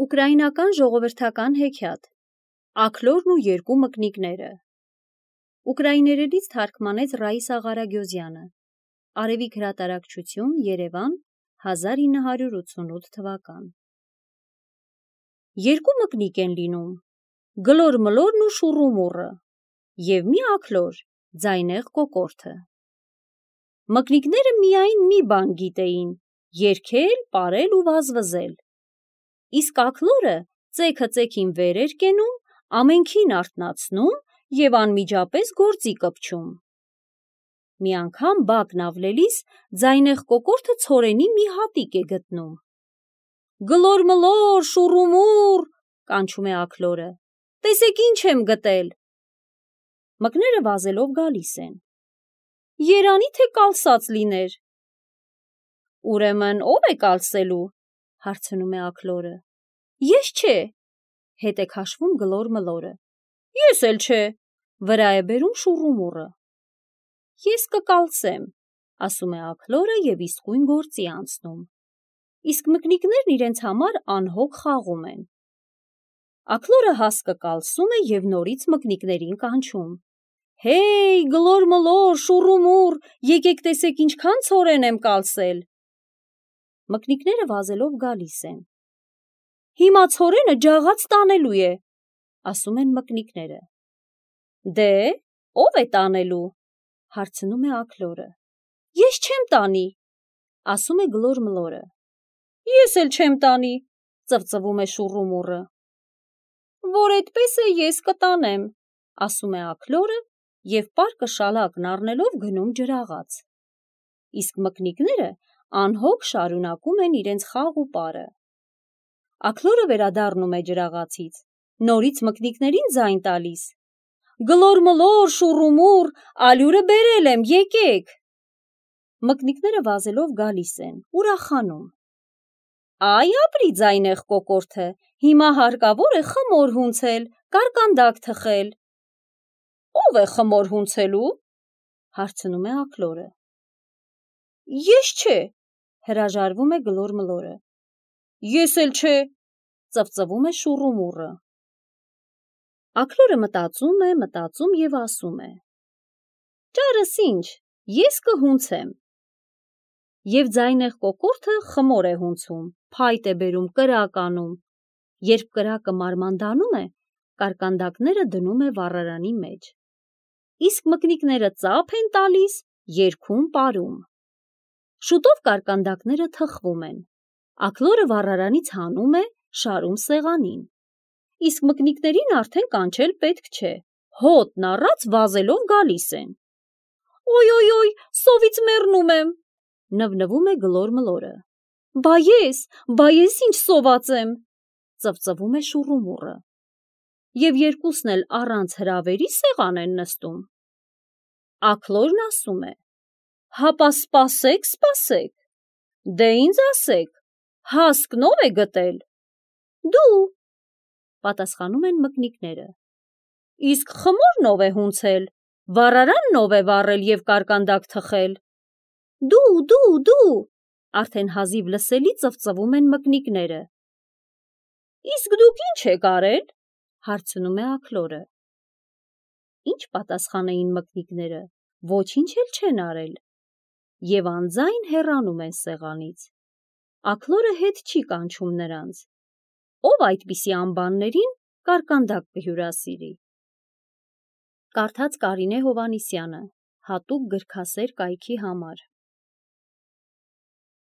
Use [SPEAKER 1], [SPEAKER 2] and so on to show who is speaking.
[SPEAKER 1] Ուկրաինական ժողովրդական հեքիաթ Աքլորն ու երկու մկնիկները Ուկրաիներենից թարգմանեց Ռաիսա Ղարագյոզյանը Արևիկ հրատարակչություն Երևան 1988 թվական Երկու մկնիկ են լինում Գլոր մլորն ու շուռումուռը և մի աքլոր ձայնեղ կոկորդը Մկնիկները միայն մի բան գիտեին երգել, պարել ու վազվզել Իսկ աքլորը ծեքը ծեքին վեր էր կենում, ամենքին արթնացնում և անմիջապես գործի կպչում։ Մի անգամ բակն ավլելիս ձայնեղ կոկորդը ցորենի մի հատիկ է գտնում։ Գլոր մլոր, շուռումուռ, կանչում է աքլորը, տեսեք ինչ եմ գտել։ Մկները վազելով գալիս են։ Երանի թե կալսած լիներ։ Ուրեմն ով է կալսելու, հարցնում է աքլորը։ Ես չէ, հետ է քաշվում գլոր մլորը։ Ես էլ չէ, վրա է բերում շուռումուռը։ Ես կկալսեմ, ասում է աքլորը և իսկույն գործի անցնում։ Իսկ մկնիկներն իրենց համար անհոգ խաղում են։ Աքլորը հասկը կալսում է և նորից մկնիկներին կանչում. Հեյ, գլոր մլոր, շուռումուռ, եկեք տեսեք ինչքան ցորեն եմ կալսել։ Մկնիկները վազելով գալիս են։ Հիմա ցորենը ջաղած տանելու է, ասում են մկնիկները։ Դե, ով է տանելու, հարցնում է աքլորը։ Ես չեմ տանի, ասում է գլոր մլորը։ Ես էլ չեմ տանի, ծվծվում է շուռումուռը։ Որ այդպես է ես կտանեմ, ասում է աքլորը և պարկը շալակն առնելով գնում ջրաղաց։ Իսկ մկնիկները անհոգ շարունակում են իրենց խաղ ու պարը։ Աքլորը վերադառնում է ջրաղացից, նորից մկնիկներին ձայն տալիս. Գլոր մլոր, շուռումուռ, ալյուրը բերել եմ, եկեք։ Մկնիկները վազելով գալիս են, ուրախանում. Այ ապրի ձայնեղ կոկորդը, հիմա հարկավոր է խմոր հունցել, կարկանդակ թխել։ Ով է խմոր հունցելու, հարցնում է աքլորը։ Ես չէ, հրաժարվում է գլոր մլորը։ Ես էլ չէ, ծվծվում է շուռումուռը։ Աքլորը մտածում և ասում է. Ճարս ինչ, ես կհունցեմ։ Եվ ձայնեղ կոկորդը խմոր է հունցում, փայտ է բերում, կրակ անում։ Երբ կրակը մարմանդանում է, կարկանդակները դնում է վառարանի մեջ։ Իսկ մկնիկները ծափ են տալիս, երգում, պարում։ Շուտով կարկանդակները թխվում են։ Աքլորը վառարանից հանում է, շարում սեղանին։ Իսկ մկնիկներին արդեն կանչել պետք չէ, հոտն առած վազելով գալիս են։ Ոյ, սովից մեռնում եմ, նվնվում է գլոր մլորը։ Բա ես ինչ սոված եմ, ծվծվում է շուռումուռը։ Եվ երկուսն էլ առանց հրավերի սեղան են նստում։ Աքլորն ասում է. Հապա սպասեք, դե ինձ ասեք, հասկն ով է գտել։ Դու, պատասխանում են մկնիկները։ Իսկ խմորն ով է հունցել, վառարանն ով է վառել և կարկանդակ թխել։ Դու, արդեն հազիվ լսելի ծվծվում են մկնիկները։ Իսկ դուք ինչ եք արել, հարցնում է աքլորը։ Ինչ պատասխանեին մկնիկները, ոչինչ էլ չեն արել։ Եվ անձայն հեռանում են սեղանից։ Աքլորը հետ չի կանչում նրանց։ Ով այդպիսի անբաններին կարկանդակ կհյուրասիրի։ Կարդաց Կարինե Հովհաննիսյանը, հատուկ գրքասեր կայքի համար։